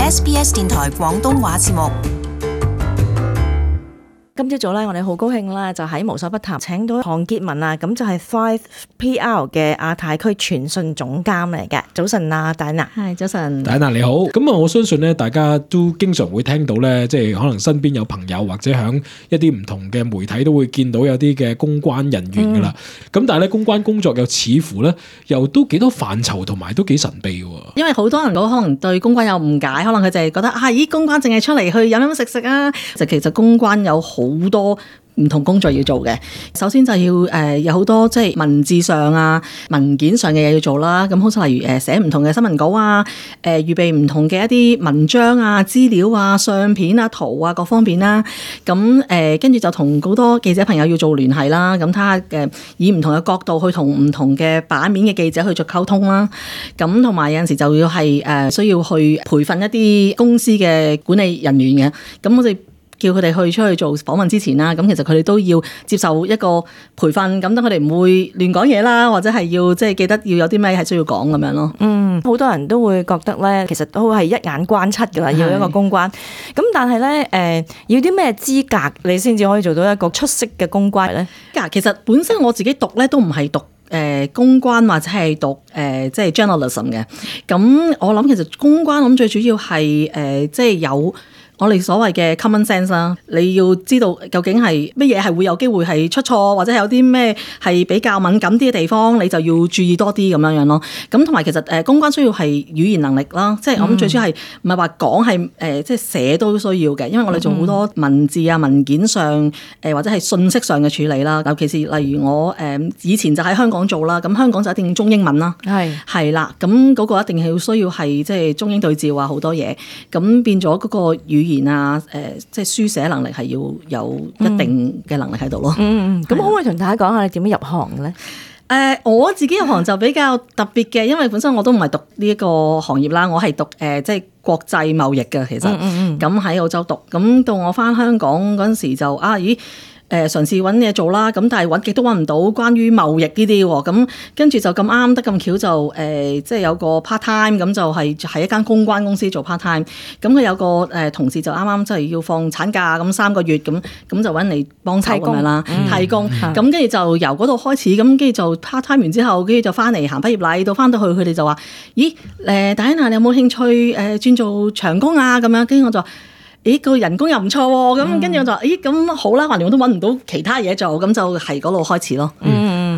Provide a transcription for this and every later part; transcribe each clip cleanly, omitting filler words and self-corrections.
SBS 電台廣東話節目。今朝早咧，我哋好高興啦，就喺無所不談請到韓潔文啊，咁就係 5PR 嘅亞太區傳訊總監嚟嘅。早晨啊，戴娜。係早晨，戴娜你好。咁啊，我相信咧，大家都經常會聽到咧，即係可能身邊有朋友或者響一啲唔同嘅媒體都會見到有啲嘅公關人員噶啦。咁但係咧，公關工作又似乎咧，又都幾多範疇同埋都幾神秘嘅。因為好多人都可能對公關有誤解，可能佢就係覺得咦，公關淨係出嚟去飲飲食食啊。其實公關有好多唔同工作要做嘅。首先就要有好多即係文字上啊、文件上嘅嘢要做啦。咁好似例如寫唔同嘅新聞稿啊、預備唔同嘅一啲文章啊、資料啊、相片啊、圖啊各方面啦。咁跟住就同好多記者朋友要做聯繫啦。咁睇下以唔同嘅角度去同唔同嘅版面嘅記者去做溝通啦。咁同埋有陣時就要係需要去培訓一啲公司嘅管理人員嘅。咁我哋叫佢哋出去做訪問之前啦，咁其實佢哋都要接受一個培訓，咁等佢哋唔會亂講嘢啦，或者係要即係記得要有啲咩係需要講咁樣咯。好多人都會覺得咧，其實都係一眼關七噶啦，要一個公關。咁但係咧，要啲咩資格你先至可以做到一個出色嘅公關咧？其實本身我自己讀咧都唔係讀公關或者係讀即係 journalism 嘅。咁我諗其實公關我諗最主要係即係有我哋所謂嘅 common sense 啦，你要知道究竟係乜嘢係會有機會係出錯，或者係有啲咩係比較敏感啲嘅地方，你就要注意多啲咁樣樣咯。咁同埋其實公關需要係語言能力啦，即係我諗最主要係唔係話講係即係寫都需要嘅，因為我哋做好多文字啊、文件上或者係信息上嘅處理啦。尤其是例如我以前就喺香港做啦，咁香港就一定中英文啦，係啦，咁嗰個一定係需要係即係中英對照啊，好多嘢，咁變咗嗰個語言啊，即係書寫能力係要有一定嘅能力喺度咯。咁可唔可以同大家講下你點樣入行嘅咧？我自己入行就比較特別嘅，因為本身我都唔係讀呢一個行業啦，我係讀即係國際貿易嘅，其實咁喺澳洲讀，咁到我返香港嗰陣時就嘗試揾嘢做啦，咁但係揾極都揾唔到關於貿易呢啲喎，咁跟住就咁啱得咁巧就即係有個 part time， 咁就係喺一間公關公司做 part time， 咁佢有個同事就啱啱即係要放產假咁3個月，咁就揾嚟幫手咁樣啦，替工，咁跟住就由嗰度開始，咁跟住就 part time 完之後，跟住就翻嚟行畢業禮，到翻到去佢哋就話：咦，Diana 你有冇興趣轉做長工啊？咁樣，跟住我就話：咦，個人工又唔錯喎，咁跟住我就話：咦，咁好啦，橫掂我都揾唔到其他嘢做，咁就係嗰度開始咯。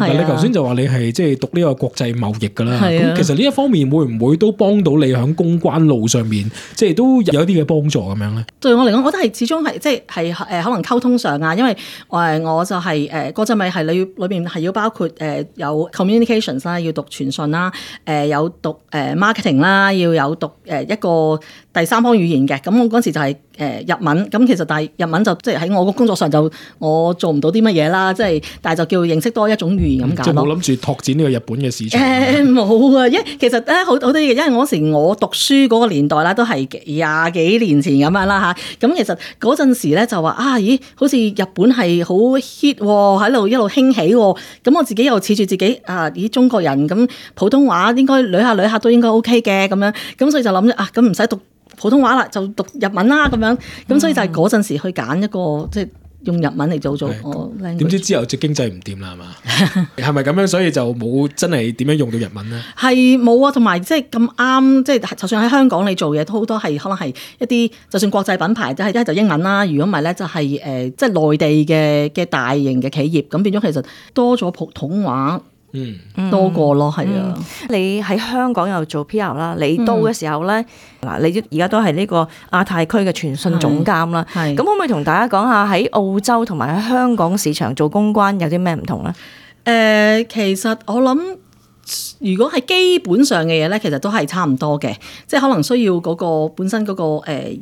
你頭先就話你係即係讀呢個國際貿易㗎啦，咁其實呢一方面會唔會都幫到你喺公關路上面，即係都有啲嘅幫助咁樣咧？對我嚟講，我覺得係始終係即係可能溝通上啊，因為我就係國際貿易係你裏邊係要包括有 communications 啦，要讀傳訊啦，有讀marketing 啦，要有讀一個第三方語言嘅。咁我嗰時就係日文，咁其實但係日文就即係喺我個工作上就我做唔到啲乜嘢啦，即係但係就叫認識多一種語言咁解咯。即係冇諗住拓展呢個日本嘅市場。冇啊，因為其實咧好多嘢，因為嗰時我讀書嗰個年代啦，都係20幾年前咁樣啦嚇。咁其實嗰陣時咧就話咦，好似日本係好 hit 喎，喺度一路興起喎。咁我自己又恃住自己咦，中國人咁普通話應該捋下都應該 OK 嘅咁樣。咁所以就諗咁唔使讀普通話啦，就讀日文啦咁樣，咁所以就係嗰陣時去揀一個即係用日文嚟做我 language。點知之後隻經濟唔掂啦係嘛？係咪咁樣？所以就冇真係點樣用到日文咧？係冇啊，同埋即係咁啱，即係就算喺香港你做嘢都好多係可能係一啲就算國際品牌，即係一係就英文啦。如果唔係咧，就係即係內地嘅大型嘅企業，咁變咗其實多咗普通話。多過咯，係啊！你喺香港又做 PR 啦，你到嘅時候咧，你而家都係呢個亞太區嘅傳訊總監啦。咁可唔可以同大家講下喺澳洲同埋喺香港市場做公關有啲咩唔同咧？其實我諗。如果係基本上嘅嘢咧，其實都係差唔多嘅，即係可能需要嗰個本身嗰個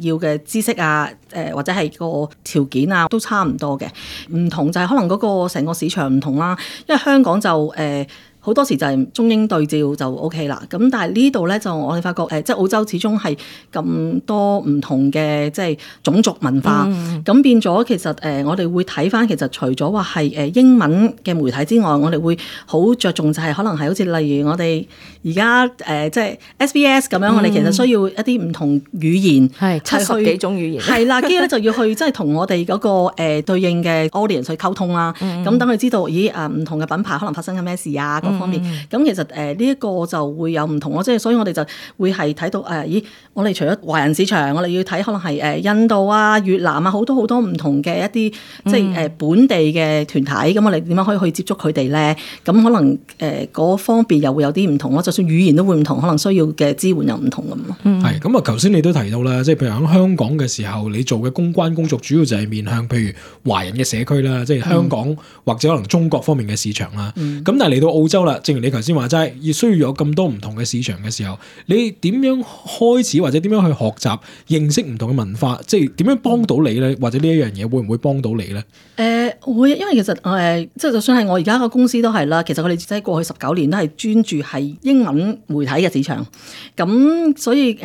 要嘅知識啊，或者係個條件啊，都差唔多嘅。唔同就係可能嗰個成個市場唔同啦，因為香港就好多時就係中英對照就 OK 啦。咁但係呢度咧就我哋發覺即係澳洲始終係咁多唔同嘅即係種族文化，咁變咗其實我哋會睇翻其實除咗話係英文嘅媒體之外，我哋會好着重就係可能係好似例如我哋而家即係 SBS 咁樣，我哋其實需要一啲唔同語言係70幾種語言係啦，跟住咧就要去即係同我哋嗰個對應嘅 audience 去溝通啦。咁等佢知道咦唔同嘅品牌可能發生緊咩事啊各方面。咁其實呢一個就會有唔同咯，即係所以我哋就會係睇到咦我哋除咗華人市場，我哋要睇可能係印度啊、越南啊好多唔同嘅一啲即係本地嘅團體，咁我哋點樣可以去接觸佢哋咧？咁可能嗰方面又會有啲唔同咯，就算語言都會唔同，可能需要嘅支援又唔同咁咯。係咁啊！頭先你都提到啦，即係譬如喺香港嘅時候，你做嘅公關工作主要就係面向譬如華人嘅社區啦，即係香港或者可能中國方面嘅市場啦。咁但係嚟到澳洲啦，正如你頭先話齋，要需要有咁多唔同嘅市場嘅時候，你點樣開始或者點樣去學習認識唔同嘅文化？即係點樣幫到你咧？或者呢一樣嘢會唔會幫到你咧？會，因為其實即係就算係我而家個公司都係啦，其實我哋即係過去19年都係專注係英文媒體嘅市場，咁所以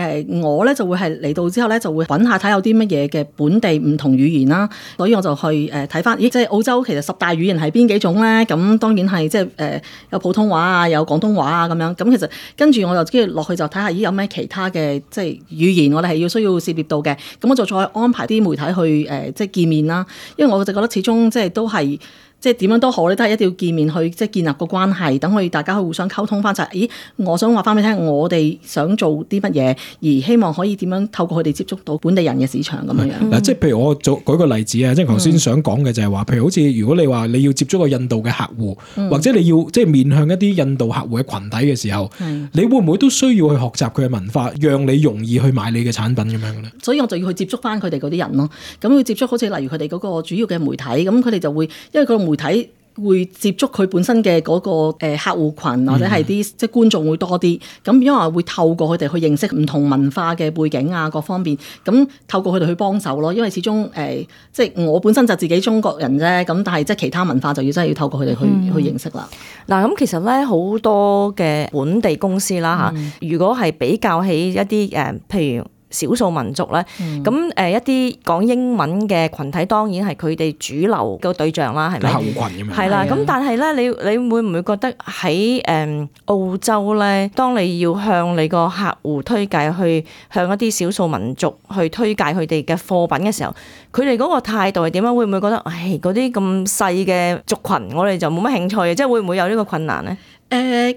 我咧就會係嚟到之後咧就會揾下睇有啲乜嘢嘅本地唔同語言啦，所以我就去睇翻，即係澳洲其實10大語言係邊幾種咧？咁當然係即係有普通話啊，有廣東話啊咁樣，咁其實跟住我就跟住落去就睇下有咩其他嘅即係語言我哋係需要涉獵到嘅，咁我就再安排啲媒體去即係見面啦，因為我就覺得始終即係都係。即係點樣都好咧，都係一定要見面去即係建立個關係，等佢大家去互相溝通翻就係，咦，我想話翻俾你聽，我哋想做啲乜嘢，而希望可以點樣透過佢哋接觸到本地人嘅市場咁樣樣。嗱，即係譬如我舉個例子啊，即係頭先想講嘅就係話，譬如好似如果你話你要接觸個印度嘅客戶，或者你要即係面向一啲印度客戶嘅群體嘅時候，你會唔會都需要去學習佢嘅文化，讓你容易去買你嘅產品咁樣咧？所以我就要去接觸翻佢哋嗰啲人咯。咁要接觸好似例如佢哋嗰個主要嘅媒體，咁佢哋就會因為個媒體會接觸佢本身嘅嗰個客戶群或者係啲即係觀眾會多啲，咁因為會透過佢哋去認識唔同文化嘅背景啊各方面，咁透過佢哋去幫手咯。因為始終即係我本身就自己中國人啫，咁但係即係其他文化就要真係要透過佢哋去認識啦。嗱，咁其實咧好多嘅本地公司啦嚇，如果係比較起一啲譬如少數民族咧，咁一啲講英文嘅群體當然係佢哋主流嘅對象啦，係咪？客戶群咁樣。係啦，咁但係咧，你會唔會覺得喺澳洲咧，當你要向你個客戶推介去向一啲少數民族去推介佢哋嘅貨品嘅時候，佢哋嗰個態度係點樣？會唔會覺得嗰啲咁細嘅族群，我哋就冇乜興趣嘅？即係會唔會有呢個困難咧？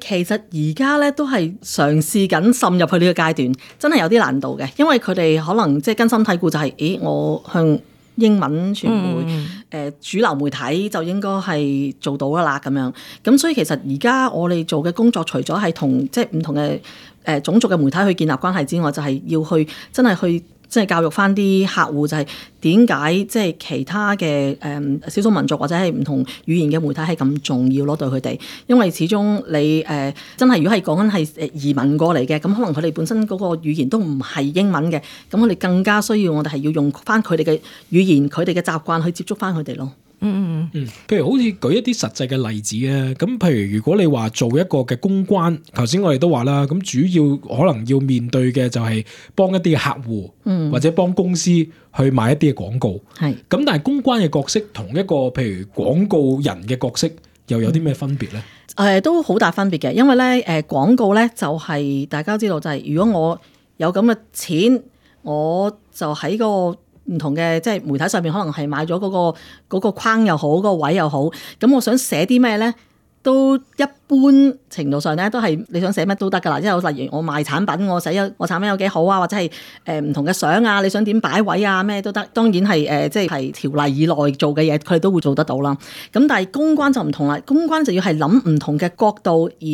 其實而家咧都係嘗試緊滲入去呢個階段，真係有啲難度嘅，因為佢哋可能即係根深蒂固就係，我向英文傳媒主流媒體就應該係做到啦咁樣。咁所以其實而家我哋做嘅工作，除咗係同即係唔同嘅種族嘅媒體去建立關係之外，就係要去真係去。即係教育翻啲客戶，就係點解即係其他嘅少數民族或者係唔同語言嘅媒體係咁重要咯，對佢哋，因為始終你真係如果係講緊係移民過嚟嘅，咁可能佢哋本身嗰個語言都唔係英文嘅，咁我哋更加需要我哋係要用翻佢哋嘅語言、佢哋嘅習慣去接觸翻佢哋咯。譬如好似舉一啲實際嘅例子啊，咁譬如如果你話做一個嘅公關，頭先我哋都話啦，咁主要可能要面對嘅就係幫一啲嘅客戶，或者幫公司去買一啲嘅廣告。係咁，但係公關嘅角色同一個譬如廣告人嘅角色又有啲咩分別咧？都好大分別嘅，因為咧廣告咧就係大家都知道就係如果我有咁嘅錢，我就喺個唔同嘅即係媒體上面可能係買咗嗰個框又好，嗰個位又好，咁我想寫啲咩咧，都一般程度上咧都係你想寫乜都得㗎啦，即係例如我賣產品，我寫我產品有幾好啊，或者係唔同嘅相啊，你想點擺位啊，咩都得。當然係即係條例以內做嘅嘢，佢哋都會做得到啦。咁但係公關就唔同啦，公關就要係諗唔同嘅角度，而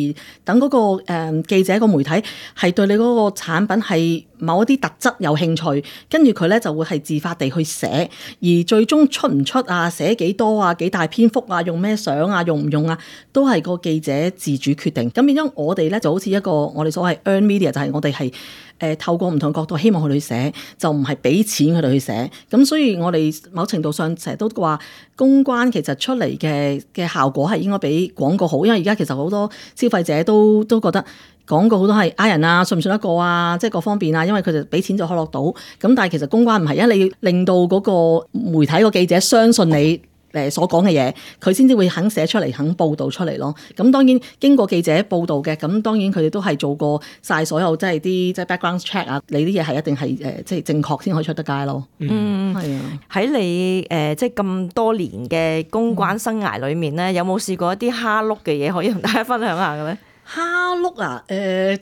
等嗰個記者個媒體係對你嗰個產品係某一啲特質有興趣，跟住佢咧就會係自發地去寫，而最終出唔出啊，寫幾多啊，幾大篇幅啊，用咩相啊，用唔用啊，都係個記者自主決定。咁變咗我哋咧就好似一個我哋所謂 earn media， 就係我哋係透過唔同角度希望佢哋去寫，就唔係俾錢佢哋去寫。咁所以我哋某程度上成日都話公關其實出嚟嘅效果係應該比廣告好，因為而家其實好多消費者都覺得廣告好多係呃人啊，信唔信得過啊，即係各方面啊，因為佢哋俾錢就可落到。咁但係其實公關唔係，因為你要令到嗰個媒體個記者相信你所講嘅嘢，佢先至會肯寫出嚟，肯報導出嚟咯。咁當然經過記者報導嘅，咁當然佢哋都係做過晒所有即係啲即係 background check 啊，你啲嘢係一定係即係正確先可以出得街咯。係啊。喺你即係咁多年嘅公關生涯裏面咧，有冇試過一啲蝦碌嘅嘢可以同大家分享下嘅咧？蝦碌啊，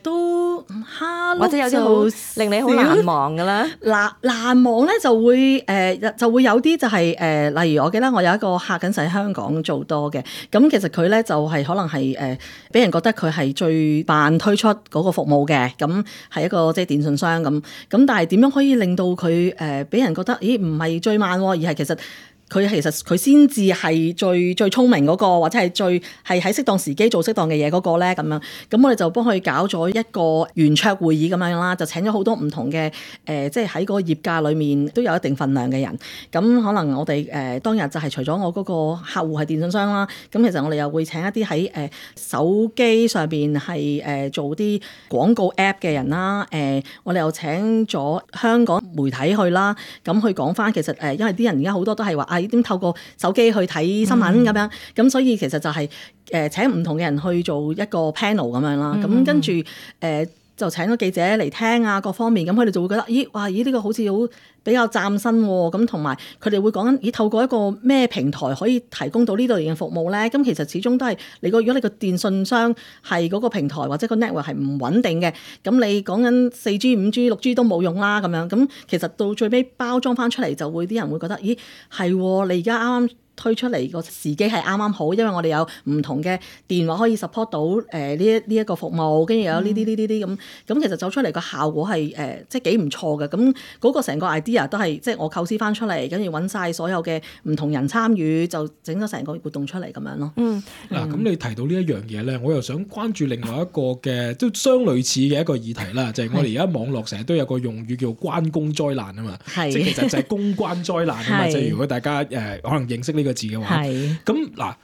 都蝦碌或者有啲好令你好難忘嘅啦。難忘咧就會就會有啲就係例如我記得我有一個客緊喺香港做多嘅，咁其實佢咧就係可能係俾人覺得佢係最慢推出嗰個服務嘅，咁係一個即係電信商咁，但係點樣可以令到佢俾人覺得咦唔係最慢喎，而係其實佢先至係最聰明嗰個，或者係最係喺適當時機做適當嘅嘢嗰個咧咁樣。咁我哋就幫佢搞咗一個圓桌會議咁樣啦，就請咗好多唔同嘅即係喺嗰個業界裏面都有一定份量嘅人。咁可能我哋當日就係除咗我嗰個客戶係電信商啦，咁其實我哋又會請一啲喺手機上邊係做啲廣告 app 嘅人啦。我哋又請咗香港媒體去啦，咁去講翻其實因為啲人而家好多都係話點透過手機去睇新聞咁樣，咁所以其實就係請唔同嘅人去做一個 panel 咁樣啦，咁跟住就請咗記者嚟聽啊，各方面咁佢哋就會覺得咦呢個好似好比較嶄新喎，咁同埋佢哋會講緊透過一個咩平台可以提供到呢類型嘅服務咧？咁其實始終都係如果你個電信商係嗰個平台或者個 network 係唔穩定嘅，咁你講緊 4G、5G、6G 都冇用啦咁樣，咁其實到最尾包裝翻出嚟就會啲人會覺得咦係你而家啱啱推出嚟個時機係啱啱好，因為我哋有唔同嘅電話可以 support 到呢一個服務，跟住有呢啲咁，其實走出嚟個效果係即係幾唔錯嘅。咁嗰個成個 idea 都係即係我構思翻出嚟，跟住揾晒所有嘅唔同人參與，就整咗成個活動出嚟咁樣咯。嗱，咁你提到呢一樣嘢咧，我又想關注另外一個嘅都相類似嘅一個議題啦，就係我哋而家網絡成日都有個用語叫關公災難啊嘛，即係其實就係公關災難啊嘛。即係如果大家可能認識呢個字嘅話，咁嗱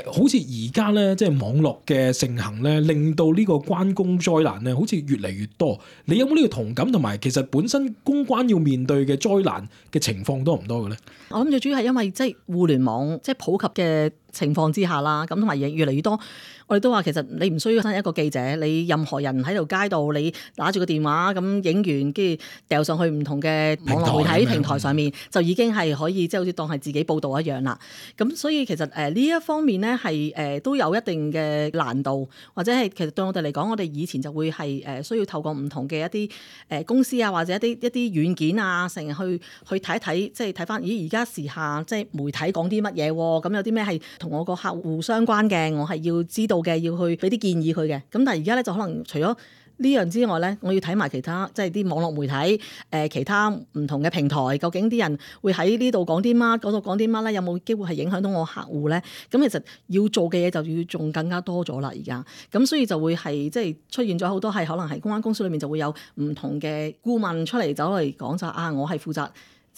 好似而家咧，即係網絡嘅盛行咧，令到呢個關公災難咧，好似越嚟越多。你有冇呢個同感？同埋其實本身公關要面對嘅災難嘅情況多唔多嘅咧？我諗最主要係因為即係互聯網即係普及嘅情況之下啦，咁同埋越嚟越多。我哋都話其實你唔需要一個記者，你任何人喺條街度，你拿住個電話咁影完，跟住掉上去唔同嘅網絡媒體平台上面，就已經係可以即係好似當係自己報導一樣啦。咁所以其實呢一方面咧係都有一定嘅難度，或者係其實對我哋嚟講，我哋以前就會係需要透過唔同嘅一啲公司啊，或者一啲軟件啊，成日去睇一睇，即係睇翻而家時下即係媒體講啲乜嘢喎？咁有啲咩係同我個客戶相關嘅，我係要知道嘅，要去俾啲建議佢嘅。咁但係而家咧就可能除咗呢樣之外咧，我要睇埋其他即係啲網絡媒體其他唔同嘅平台，究竟啲人會喺呢度講啲乜，嗰度講啲乜咧？有冇機會係影響到我客戶咧？咁其實要做嘅嘢就要仲更加多咗啦。而家咁所以就會係即係出現咗好多係可能係公關公司裏面就會有唔同嘅顧問出嚟走嚟講就我係負責。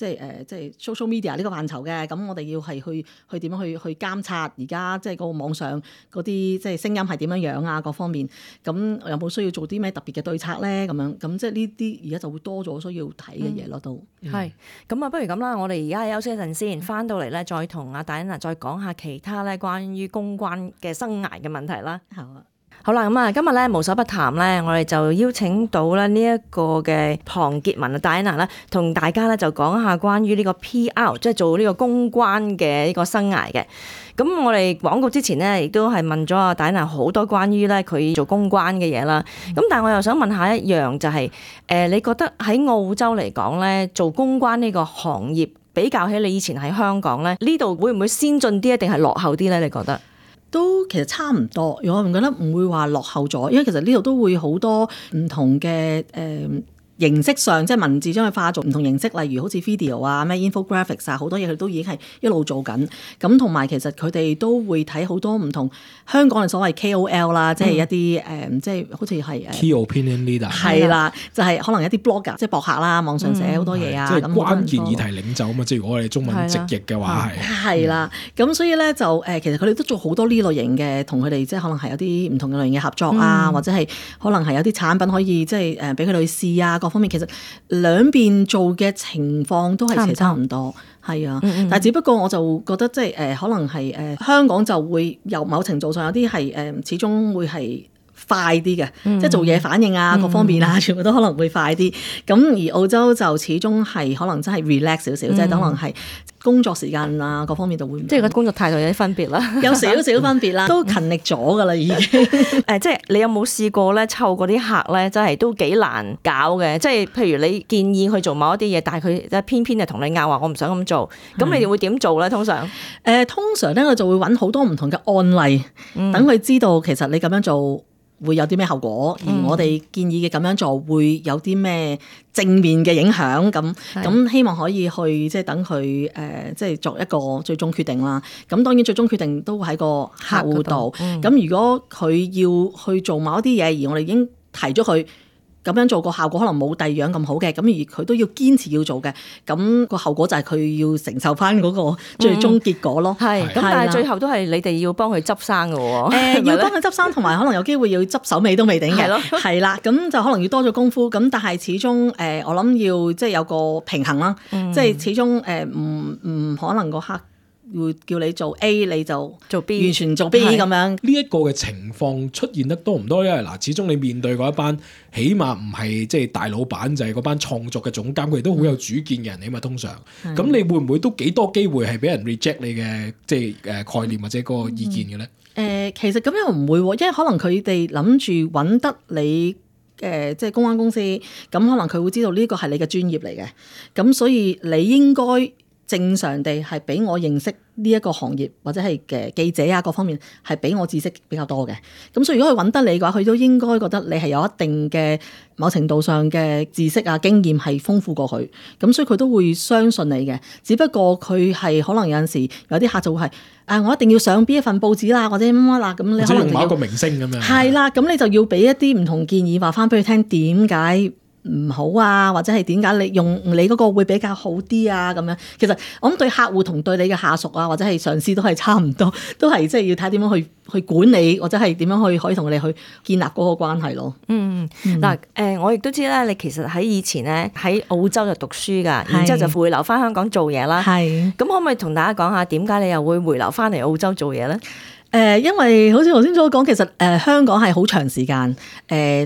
即係 social media 呢個範疇嘅，咁我哋要係去點樣去監察而家即係嗰個網上嗰啲即係聲音係點樣樣啊，各方面，咁有冇需要做啲咩特別嘅對策咧？咁樣咁即係呢啲而家就會多咗需要睇嘅嘢咯，都係咁啊！不如咁啦，我哋而家休息一陣先，翻到嚟咧再同阿戴安娜再講下其他咧關於公關嘅生涯嘅問題啦。好啊。好啦，咁啊，今日咧無所不談咧，我哋就邀請到咧呢一個嘅龐潔文啊，戴安娜啦，同大家咧就講下關於呢個 PR， 即係做呢個公關嘅呢個生涯嘅。咁我哋廣告之前咧，亦都係問咗阿戴安娜好多關於咧佢做公關嘅嘢啦。咁但係我又想問下一樣，就係你覺得喺澳洲嚟講咧，做公關呢個行業比較起你以前喺香港咧，呢度會唔會先進啲，定係落後啲咧？你覺得？都其實差唔多，我唔覺得唔會話落後咗，因為其實呢度都會好多唔同嘅形式上即係文字將佢化做唔同形式，例如好似 video 啊、咩 infographics 啊，好多嘢佢都已經係一路做緊。咁同埋其實佢哋都會睇好多唔同香港嘅所謂 KOL 啦，即係一啲即係好似係 key opinion leader 係啦，就係可能一啲 blogger 即係博客啦，網上寫好多嘢啊，即係關鍵議題領袖啊嘛。即係如果我哋中文直譯嘅話係啦。咁所以咧就其實佢哋都做好多呢類型嘅，同佢哋即係可能係有啲唔同嘅類型嘅合作啊，或者係可能係有啲產品可以即係俾佢哋去試啊，各方面其實兩邊做嘅情況都係差唔多，係啊。但係只不過我就覺得即係可能係香港就會有某程度上有啲係始終會係快啲嘅，即係做嘢反應啊，各方面啊，全部都可能會快啲。咁而澳洲就始終係可能真係 relax 少少，即係可能係工作時間啊，各方面就會即係個工作態度有啲分別啦，有少少分別啦，都勤力咗㗎啦已經。即係你有冇試過咧湊嗰啲客咧，真係都幾難搞嘅。即係譬如你建議佢做某一啲嘢，但係佢偏偏就同你拗話，我唔想咁做。咁你哋會點做咧？通常通常咧我就會揾好多唔同嘅案例，等佢知道其實你咁樣做會有啲咩後果，而我哋建議嘅咁樣做會有啲咩正面嘅影響，咁希望可以去即係等佢即係作一個最終決定啦。咁當然最終決定都喺個客戶度。咁如果佢要去做某一啲嘢，而我哋已經提咗佢咁樣做，個效果可能冇第二樣咁好嘅，咁而佢都要堅持要做嘅，咁個後果就係佢要承受翻嗰個最終結果咯。係咁，但係最後都係你哋要幫佢執生嘅喎。要幫佢執生，同埋可能有機會要執手尾都未定嘅。係啦，咁就可能要多咗功夫。咁但係始終我諗要即係有個平衡啦。即係始終唔可能個客會叫你做 A 你就做 B， 完全做 B 咁樣。呢一個嘅情況出現得多唔多？因為嗱，始終你面對嗰一班，起碼唔係即係大老闆，就係嗰班創作嘅總監，佢哋都好有主見嘅人嚟嘛。通常，咁你會唔會都幾多機會係俾人 reject 你嘅即係概念或者嗰個意見嘅咧？其實咁又唔會，因為可能佢哋諗住揾得你即係公關公司，咁可能佢會知道呢個係你嘅專業嚟嘅，咁所以你應該正常地係俾我認識呢一個行業，或者係嘅記者啊各方面係俾我知識比較多嘅。咁所以如果佢揾得你嘅話，佢都應該覺得你係有一定嘅某程度上嘅知識啊經驗係豐富過佢，咁所以佢都會相信你嘅。只不過佢係可能有陣時有啲客就會係我一定要上邊一份報紙啦，或者乜乜啦，咁你可能用某一個明星咁樣。係啦，咁你就要俾一啲唔同建議，話翻俾佢聽點解唔好啊，或者係點解你用你嗰個會比較好啲啊咁樣。其實我諗對客戶同對你嘅下屬啊，或者係上司都係差唔多，都係即係要睇點樣去管理，或者係點樣可以同佢哋去建立嗰個關係咯。嗱我亦都知咧，你其實喺以前咧喺澳洲就讀書噶，然之後就回流翻香港做嘢啦。係咁，可唔可以同大家講下點解你又會回流翻嚟澳洲做嘢咧？因為好似頭先所講，其實香港係好長時間，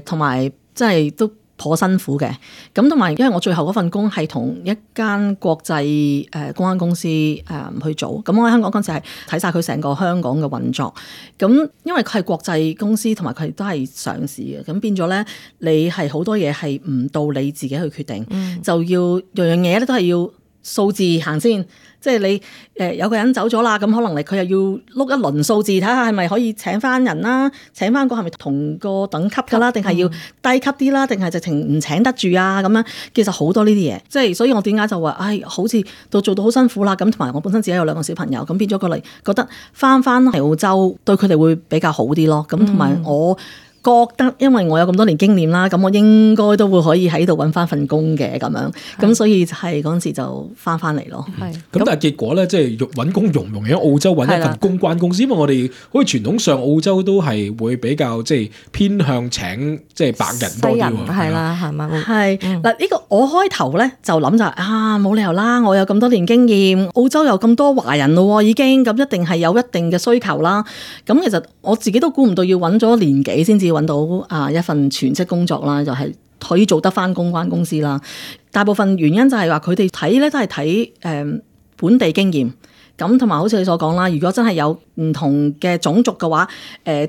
同埋即係都頗辛苦嘅，咁同埋因為我最後嗰份工係同一間國際公關公司去做，咁我喺香港嗰陣時係睇晒佢成個香港嘅運作，咁因為佢係國際公司，同埋佢都係上市嘅，咁變咗咧你係好多嘢係唔到你自己去決定，就要樣樣嘢咧都係要數字行先。即係你有個人走咗啦，咁可能佢又要碌一輪數字，睇下係咪可以請翻人啦，請翻個係咪同個等級㗎啦，定係要低級啲啦，定係直情唔請得住啊咁樣。其實好多呢啲嘢，即係所以我點解就話，好似做到好辛苦啦。咁同埋我本身自己有2個小朋友，咁變咗過嚟覺得翻嚟澳洲對佢哋會比較好啲咯。咁同埋我覺得因為我有咁多年經驗啦，咁我應該都會可以喺度揾翻份工嘅咁樣，咁所以係嗰陣時就翻嚟咯。咁但係結果咧，即係揾工容唔容易喺澳洲揾一份公關公司？因為我哋好似傳統上澳洲都係會比較即係偏向請即係白人多啲喎。係啦，係嘛？係嗱，呢個我開頭咧就諗就冇理由啦，我有咁多年經驗，澳洲有咁多華人咯，已經咁一定係有一定嘅需求啦。咁其實我自己都估唔到要揾咗年幾先至揾到一份全職工作啦，就係可以做得翻公關公司啦。大部分原因就係話佢哋睇咧都係睇本地經驗，咁同埋好似你所講啦，如果真係有唔同嘅種族嘅話，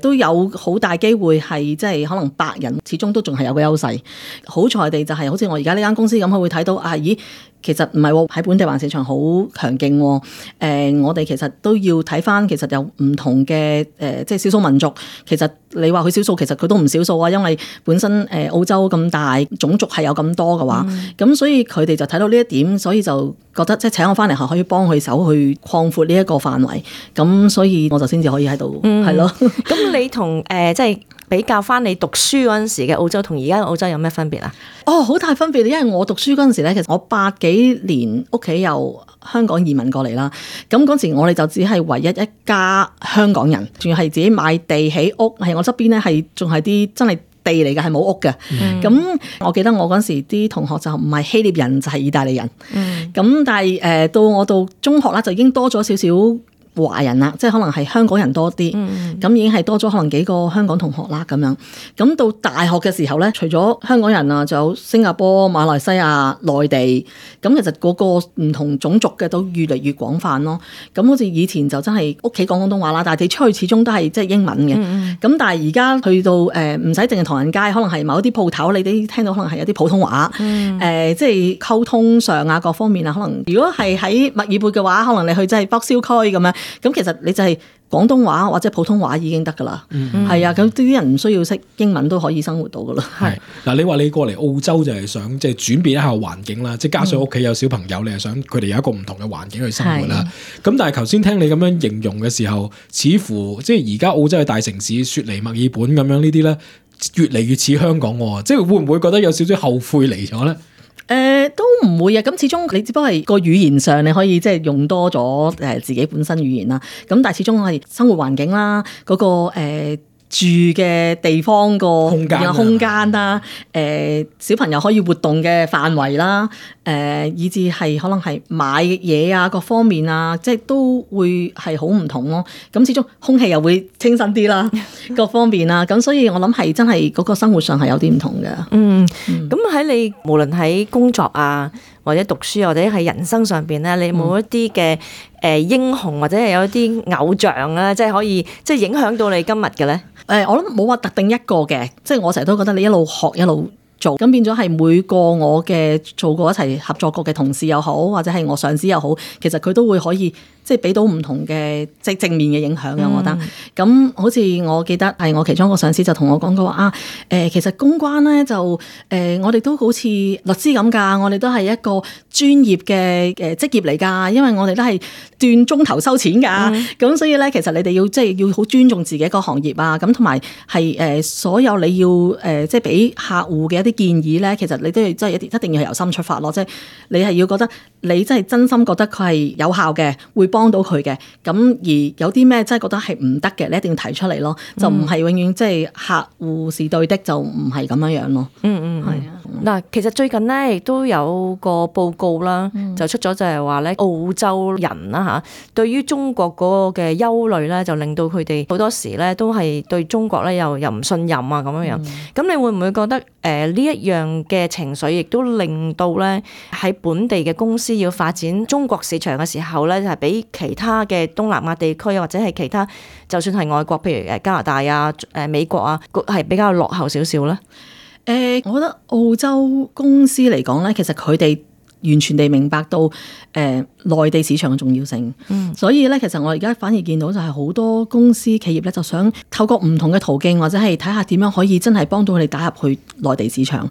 都有好大機會係即係可能白人始終都仲係有個優勢。好彩地就係好似我而家呢間公司咁，佢會睇到咦其實唔係喎，喺本地華人市場好強勁喎。我哋其實都要睇翻，其實有唔同嘅即係少數民族。其實你話佢少數，其實佢都唔少數啊。因為本身澳洲咁大，種族係有咁多嘅話，咁所以佢哋就睇到呢一點，所以就覺得即係請我翻嚟係可以幫佢手去擴闊呢一個範圍。咁所以我就先至可以喺度係咯。咁你同即係比較翻你讀書嗰陣時嘅澳洲同而家嘅澳洲有咩分別啊？哦，好大分別，因為我讀書嗰陣時咧，其實我80幾年屋企由香港移民過嚟啦。咁嗰時我哋就只係唯一一家香港人，仲要係自己買地起屋，係我側邊咧係仲係啲真係地嚟嘅，係冇屋嘅。咁我記得我嗰時啲同學就唔係希臘人就係意大利人。咁但係到我到中學啦，就已經多咗少少華人啦，即係可能係香港人多啲，咁已經係多咗可能幾個香港同學啦咁樣。咁到大學嘅時候咧，除咗香港人啊，仲有新加坡、馬來西亞、內地，咁其實嗰個唔同種族嘅都越嚟越廣泛咯。咁好似以前就真係屋企講廣東話啦，但係你出去始終都係即係英文嘅。咁但係而家去到唔使淨係唐人街，可能係某一啲鋪頭，你哋聽到可能係有啲普通話，即係溝通上啊各方面啊，可能如果係喺墨爾本嘅話，可能你去即係北燒區咁樣。咁其實你就係廣東話或者普通話已經得噶啦，係啊，咁啲人唔需要識英文都可以生活到噶啦。係嗱，你話你過嚟澳洲就係想即係轉變一下環境啦，即係加上屋企有小朋友，你係想佢哋有一個唔同嘅環境去生活啦。咁但係頭先聽你咁樣形容嘅時候，似乎即係而家澳洲嘅大城市雪梨、墨爾本咁樣呢啲咧，越嚟越似香港喎，即係會唔會覺得有少少後悔嚟咗咧？都唔會啊！咁始終你只不過係個語言上你可以即係用多咗自己本身語言啦。咁但係始終係生活環境啦，嗰個住嘅地方個空間啦，小朋友可以活動嘅範圍啦，以至係可能係買嘢啊各方面啊，即係都會係好唔同咯。咁始終空氣又會清新啲啦，各方面啦。咁所以我諗係真係嗰個生活上係有啲唔同嘅。咁喺你無論喺工作啊，或者讀書或者喺人生上邊咧，你有冇一啲嘅英雄或者係有一啲偶像啊，即係可以即係影響到你今日嘅咧？我諗冇話特定一個嘅，即係我成日都覺得你一路學一路做，咁變咗係每個我嘅做過一齊合作過嘅同事又好，或者係我上司又好，其實佢都會可以即係俾到唔同嘅即係正面嘅影響嘅。我覺得咁好似我記得係我其中一個上司就同我講過話其實公關咧就我哋都好似律師咁㗎，我哋都係一個專業嘅職業嚟㗎，因為我哋都係斷鐘頭收錢㗎。咁所以咧，其實你哋要即係要好尊重自己一個行業啊，咁同埋係所有你要即係俾客戶嘅一啲建議咧，其實你都要即係一定要係由心出發咯，即係你係要覺得你真係真心覺得佢係有效嘅，會幫到佢嘅。咁而有啲咩真係覺得係唔得嘅，你一定要提出嚟咯，就唔係永遠即係客戶是對的，就唔係咁樣樣咯。係啊。嗱，其實最近咧亦都有個報告啦，就出咗就係話咧澳洲人啦嚇，對於中國嗰個嘅憂慮咧，就令到佢哋好多時咧都係對中國咧又唔信任啊咁樣樣。咁你會唔會覺得呢一樣嘅情緒，亦都令到咧喺本地嘅公司要發展中國市場嘅時候咧，就係比其他嘅東南亞地區或者係其他就算係外國，譬如加拿大啊、美國啊，係比較落後少少咧？我覺得澳洲公司嚟講咧，其實佢哋完全地明白到內地市場嘅重要性，所以咧其實我而家反而見到就係好多公司企業咧就想透過唔同嘅途徑，或者係睇下點樣可以真係幫到佢哋打入去內地市場。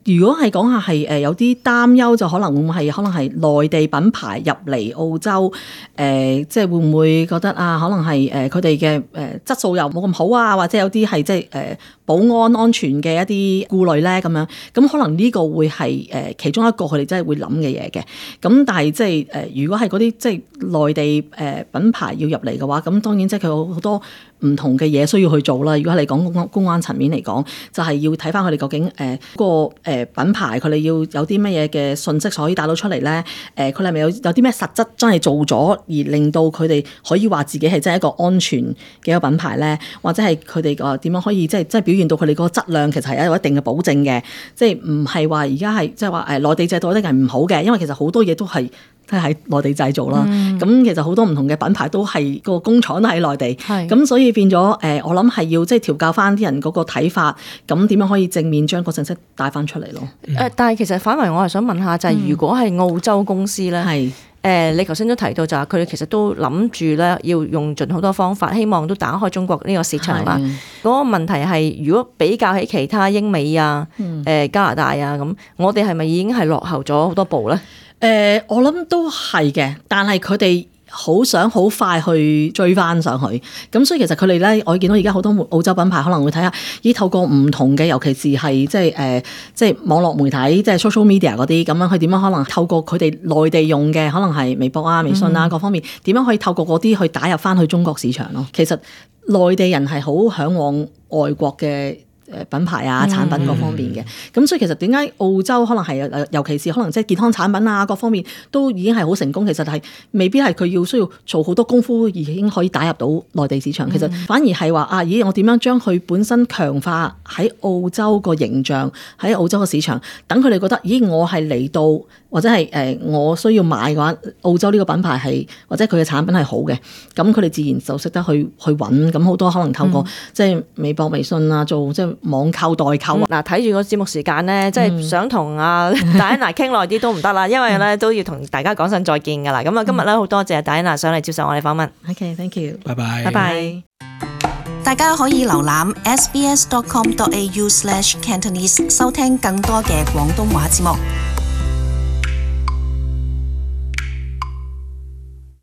如果係講下係有啲擔憂，就可能會唔會係可能係內地品牌入嚟澳洲，即係會唔會覺得啊，可能係佢哋嘅質素又冇咁好啊，或者有啲係即係保安全嘅一啲顧慮咧咁樣，咁可能呢個會係其中一個佢哋真係會諗嘅嘢嘅。咁但係即係如果係嗰啲即係內地品牌要入嚟嘅話，咁當然即係佢有好多唔同嘅嘢需要去做啦。如果係講公關層面嚟講，就係要睇翻佢哋究竟個品牌佢哋要有啲乜嘢嘅信息可以帶到出嚟咧？佢哋係咪有啲咩實質真係做咗，而令到佢哋可以話自己係真係一個安全嘅一個品牌咧？或者係佢哋個點樣可以即係表現到佢哋個質量其實係有一定嘅保證嘅？即係唔係話而家係即係話內地製造一定係唔好嘅？因為其實好多嘢都係即係喺內地製造啦。咁其實好多唔同嘅品牌都係個工廠喺內地，咁所以變咗我諗係要即係調教翻啲人嗰個睇法，咁點樣可以正面將個信息帶翻出嚟咯？但係其實反為我係想問下，就係如果係澳洲公司咧，你頭先都提到就係佢哋其實都諗住咧要用盡好多方法，希望都打開中國呢個市場啦。嗰個問題係，如果比較起其他英美啊、加拿大啊咁，我哋係咪已經係落後咗好多步咧？我諗都係嘅，但係佢哋好想好快去追翻上去，咁所以其實佢哋咧，我見到而家好多澳洲品牌可能會睇下，透過唔同嘅，尤其是係即係網絡媒體，即係 social media 嗰啲咁樣，佢點樣可能透過佢哋內地用嘅，可能係微博啊、微信啊各方面，點樣可以透過嗰啲去打入翻去中國市場咯？其實內地人係好嚮往外國嘅品牌啊、產品各方面嘅，咁所以其實點解澳洲可能係尤其是可能即係健康產品啊各方面都已經係好成功，其實係未必係佢要需要做好多功夫已經可以打入到內地市場，其實反而係話我點樣將佢本身強化喺澳洲個形象，喺澳洲個市場，等佢哋覺得我係嚟到或者係我需要買嘅話，澳洲呢個品牌係或者佢嘅產品係好嘅，咁佢哋自然就識得去揾，咁好多可能透過即係微博、微信啊做即係網購代購嗱，睇住個節目時間咧，即係想同Diana 傾耐啲都唔得啦，因為咧都要同大家講聲再見噶啦。咁啊，今日咧好多謝Diana上嚟接受我哋訪問。OK，thank you，拜拜，拜拜。大家可以瀏覽 sbs.com.au/Cantonese 收聽更多嘅廣東話節目。